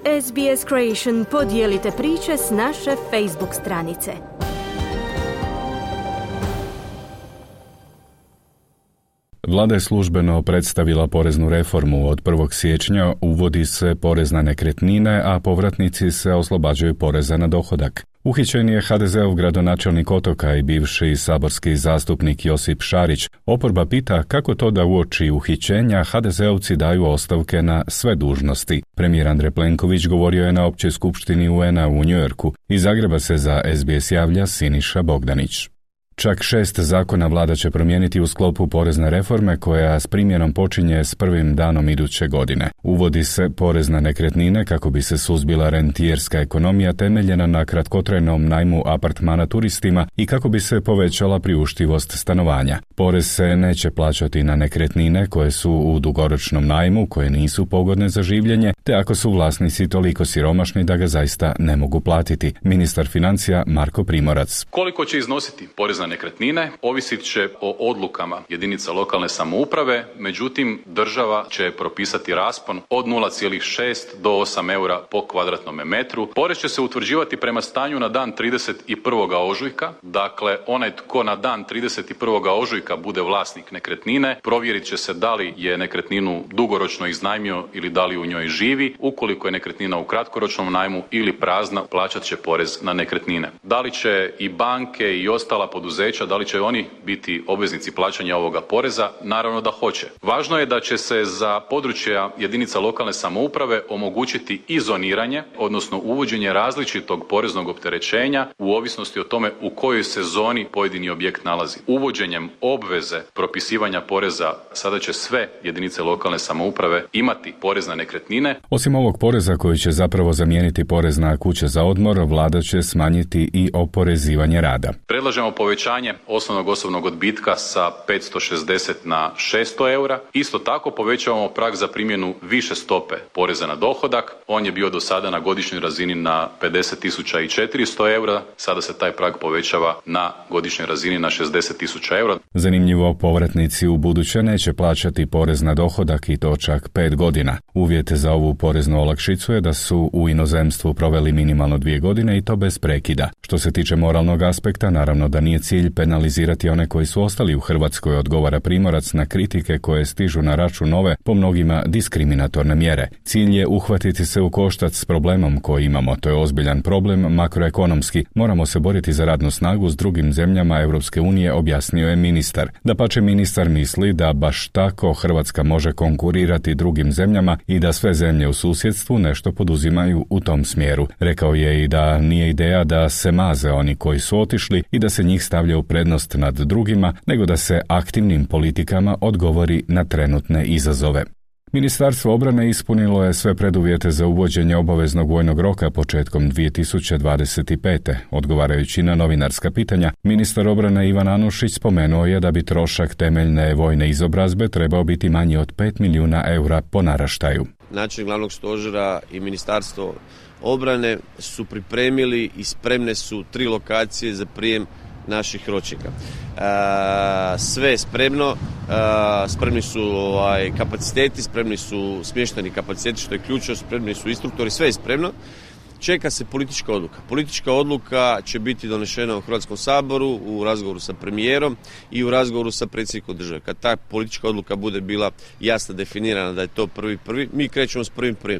SBS Creation podijelite priče s naše Facebook stranice. Vlada je službeno predstavila poreznu reformu. Od 1. siječnja uvodi se porez na nekretnine, a povratnici se oslobađaju poreza na dohodak. Uhićen je HDZ-ov gradonačelnik Otoka i bivši saborski zastupnik Josip Šarić. Oporba pita kako to da uoči uhićenja HDZ-ovci daju ostavke na sve dužnosti. Premijer Andrej Plenković govorio je na općoj skupštini UN-a u Njujorku. Iz Zagreba se za SBS javlja Siniša Bogdanić. Čak 6 zakona vlada će promijeniti u sklopu porezne reforme koja s primjenom počinje s prvim danom iduće godine. Uvodi se porez na nekretnine kako bi se suzbila rentijerska ekonomija temeljena na kratkotrajnom najmu apartmana turistima i kako bi se povećala priuštivost stanovanja. Porez se neće plaćati na nekretnine koje su u dugoročnom najmu, koje nisu pogodne za življenje, te ako su vlasnici toliko siromašni da ga zaista ne mogu platiti. Ministar financija Marko Primorac. Koliko će iznositi porez na nekretnine ovisit će o odlukama jedinica lokalne samouprave, međutim država će propisati raspon od 0,6 do 8 eura po kvadratnom metru. Porez će se utvrđivati prema stanju na dan 31. ožujka, dakle onaj tko na dan 31. ožujka bude vlasnik nekretnine, provjerit će se da li je nekretninu dugoročno iznajmio ili da li u njoj živi. Ukoliko je nekretnina u kratkoročnom najmu ili prazna, plaćat će porez na nekretnine. Da li će i banke i ostala poduzeća, da li će oni biti obveznici plaćanja ovoga poreza? Naravno da hoće. Važno je da će se za područja jedinica lokalne samouprave omogućiti i zoniranje, odnosno uvođenje različitog poreznog opterećenja u ovisnosti o tome u kojoj se zoni pojedini objekt nalazi. Uvođenjem obveze propisivanja poreza sada će sve jedinice lokalne samouprave imati porez na nekretnine. Osim ovog poreza koji će zapravo zamijeniti porez na kuće za odmor, vlada će smanjiti i oporezivanje rada. Predlažemo povećanje osnovnog osobnog odbitka sa 560 na 600 eura. Isto tako povećavamo prag za primjenu više stope poreza na dohodak. On je bio do sada na godišnjoj razini na 50.400 eura. Sada se taj prag povećava na godišnjoj razini na 60.000 eura. Zanimljivo, povratnici u buduće neće plaćati porez na dohodak i to čak 5 godina. Uvjet za ovu poreznu olakšicu je da su u inozemstvu proveli minimalno 2 godine i to bez prekida. Što se tiče moralnog aspekta, naravno da nije cilj penalizirati one koji su ostali u Hrvatskoj, odgovara Primorac na kritike koje stižu na račun nove, po mnogima diskriminatorne mjere. Cilj je uhvatiti se u koštac s problemom koji imamo. To je ozbiljan problem makroekonomski. Moramo se boriti za radnu snagu s drugim zemljama Europske unije, objasnio je ministar. Dapače, ministar misli da baš tako Hrvatska može konkurirati drugim zemljama i da sve zemlje u susjedstvu nešto poduzimaju u tom smjeru. Rekao je i da nije ideja da se maze oni koji su otišli i da se njih stavlja u prednost nad drugima, nego da se aktivnim politikama odgovori na trenutne izazove. Ministarstvo obrane ispunilo je sve preduvjete za uvođenje obaveznog vojnog roka početkom 2025. Odgovarajući na novinarska pitanja, ministar obrane Ivan Anušić spomenuo je da bi trošak temeljne vojne izobrazbe trebao biti manji od 5 milijuna eura po naraštaju. Načelnik glavnog stožera i ministarstvo obrane su pripremili i spremne su 3 lokacije za prijem naših ročnika. Sve je spremno, spremni su kapaciteti, spremni su smješteni kapaciteti, što je ključno, spremni su instruktori, sve je spremno. Čeka se politička odluka. Politička odluka će biti donešena u Hrvatskom saboru u razgovoru sa premijerom i u razgovoru sa predsjednikom države. Kad ta politička odluka bude bila jasno definirana da je to 1.1., mi krećemo s 1.1.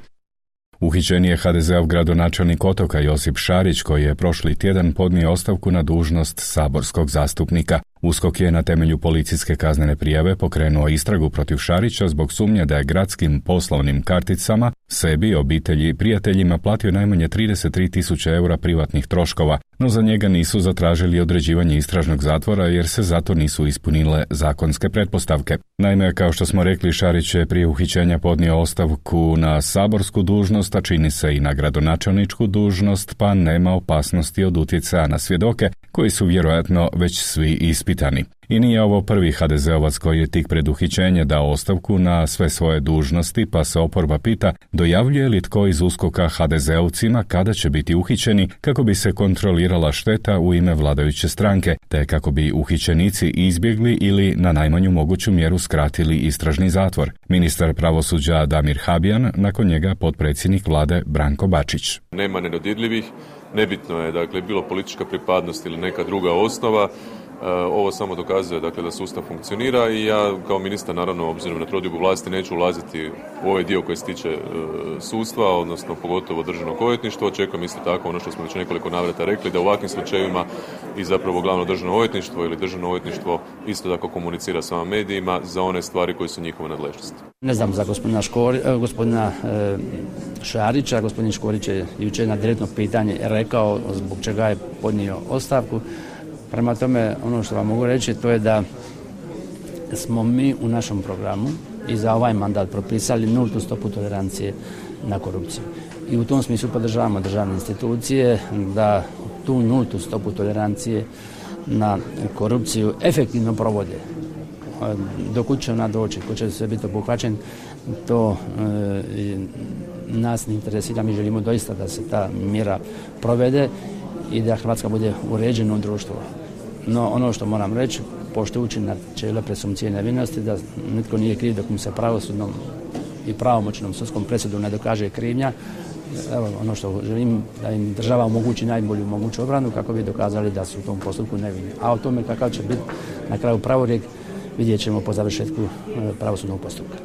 Uhićen je HDZ-ov gradonačelnik Otoka Josip Šarić, koji je prošli tjedan podnio ostavku na dužnost saborskog zastupnika. USKOK je na temelju policijske kaznene prijave pokrenuo istragu protiv Šarića zbog sumnje da je gradskim poslovnim karticama sebi, obitelji i prijateljima platio najmanje 33.000 eura privatnih troškova, no za njega nisu zatražili određivanje istražnog zatvora jer se zato nisu ispunile zakonske pretpostavke. Naime, kao što smo rekli, Šarić je prije uhićenja podnio ostavku na saborsku dužnost, a čini se i na gradonačelničku dužnost, pa nema opasnosti od utjecaja na svjedoke koji su vjerojatno već svi ispitani. I nije ovo prvi HDZ-ovac koji je tik pred uhićenje dao ostavku na sve svoje dužnosti, pa se oporba pita dojavljuje li tko iz USKOK-a HDZ-ovcima kada će biti uhićeni kako bi se kontrolirala šteta u ime vladajuće stranke, te kako bi uhićenici izbjegli ili na najmanju moguću mjeru skratili istražni zatvor. Ministar pravosuđa Damir Habijan, nakon njega potpredsjednik vlade Branko Bačić. Nema nedodirljivih, nebitno je dakle bilo politička pripadnost ili neka druga osnova. Ovo samo dokazuje dakle, da sustav funkcionira i ja kao ministar naravno obzirom na trodiobu vlasti neću ulaziti u ovaj dio koji se tiče sudstva, odnosno pogotovo državnog odvjetništva. Očekujem isto tako ono što smo već nekoliko navrata rekli da u ovakvim slučajevima i zapravo glavno državno odvjetništvo ili državno odvjetništvo isto tako komunicira s vama medijima za one stvari koje su njihova nadležnost. Ne znam za gospodina Šarića. Gospodin Škorić je jučer na direktno pitanje rekao zbog čega je podnio ostavku. Prema tome, ono što vam mogu reći to je da smo mi u našem programu i za ovaj mandat propisali nultu stopu tolerancije na korupciju. I u tom smislu podržavamo državne institucije da tu nultu stopu tolerancije na korupciju efektivno provode. Dokud će ona doći, ko će sve biti obuhvaćen, to nas ne interesira. Mi želimo doista da se ta mjera provede i da Hrvatska bude uređeno društvo. No ono što moram reći, poštujući načelo presumpcije nevinosti, da nitko nije kriv dok mu se pravosudnom i pravomoćnom sudskom presudom ne dokaže krivnja. Evo, ono što želim da im država omogući najbolju moguću obranu kako bi dokazali da su u tom postupku nevini. A o tome kakav će biti na kraju pravorijek vidjet ćemo po završetku pravosudnog postupka.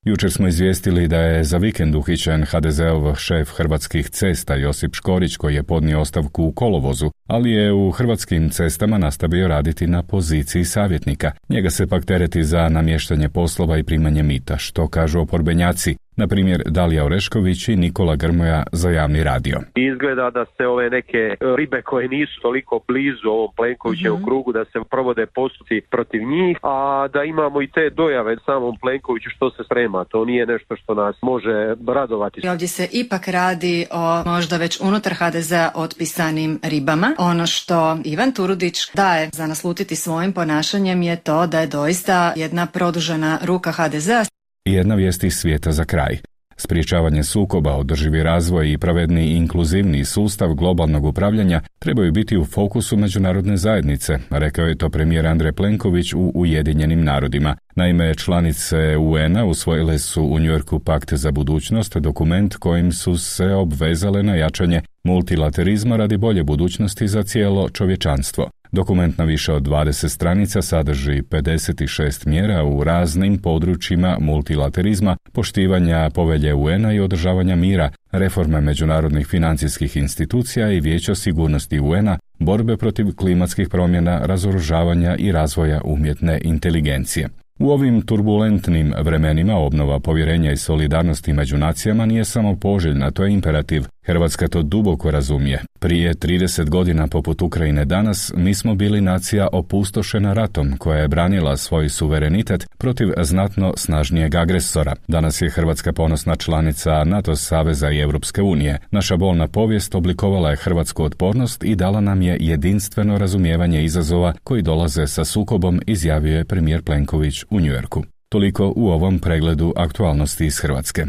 Jučer smo izvijestili da je za vikend uhićen HDZ-ov šef Hrvatskih cesta Josip Škorić koji je podnio ostavku u kolovozu, ali je u Hrvatskim cestama nastavio raditi na poziciji savjetnika. Njega se pak tereti za namještanje poslova i primanje mita, što kažu oporbenjaci. Na primjer, Dalija Orešković i Nikola Grmoja za Javni radio. Izgleda da se ove neke ribe koje nisu toliko blizu ovom Plenkovićevom krugu, da se provode postupci protiv njih, a da imamo i te dojave samom Plenkoviću što se sprema. To nije nešto što nas može radovati. Ovdje se ipak radi o možda već unutar HDZ-a otpisanim ribama. Ono što Ivan Turudić daje za naslutiti svojim ponašanjem je to da je doista jedna produžena ruka HDZ-a. I jedna vijest iz svijeta za kraj. Sprječavanje sukoba, održivi razvoj i pravedni i inkluzivni sustav globalnog upravljanja trebaju biti u fokusu međunarodne zajednice, rekao je to premijer Andrej Plenković u Ujedinjenim narodima. Naime, članice UN-a usvojile su u Njujorku pakt za budućnost, dokument kojim su se obvezale na jačanje multilaterizma radi bolje budućnosti za cijelo čovječanstvo. Dokument na više od 20 stranica sadrži 56 mjera u raznim područjima multilaterizma, poštivanja povelje UN-a i održavanja mira, reforme međunarodnih financijskih institucija i Vijeća sigurnosti UN-a, borbe protiv klimatskih promjena, razoružavanja i razvoja umjetne inteligencije. U ovim turbulentnim vremenima obnova povjerenja i solidarnosti među nacijama nije samo poželjna, to je imperativ. Hrvatska to duboko razumije. Prije 30 godina poput Ukrajine danas mi smo bili nacija opustošena ratom koja je branila svoj suverenitet protiv znatno snažnijeg agresora. Danas je Hrvatska ponosna članica NATO saveza i Europske unije. Naša bolna povijest oblikovala je hrvatsku otpornost i dala nam je jedinstveno razumijevanje izazova koji dolaze sa sukobom, izjavio je premijer Plenković u Njujorku. Toliko u ovom pregledu aktualnosti iz Hrvatske.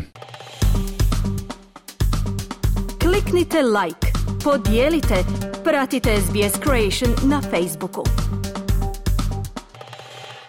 Kliknite like, podijelite, pratite SBS Creation na Facebooku.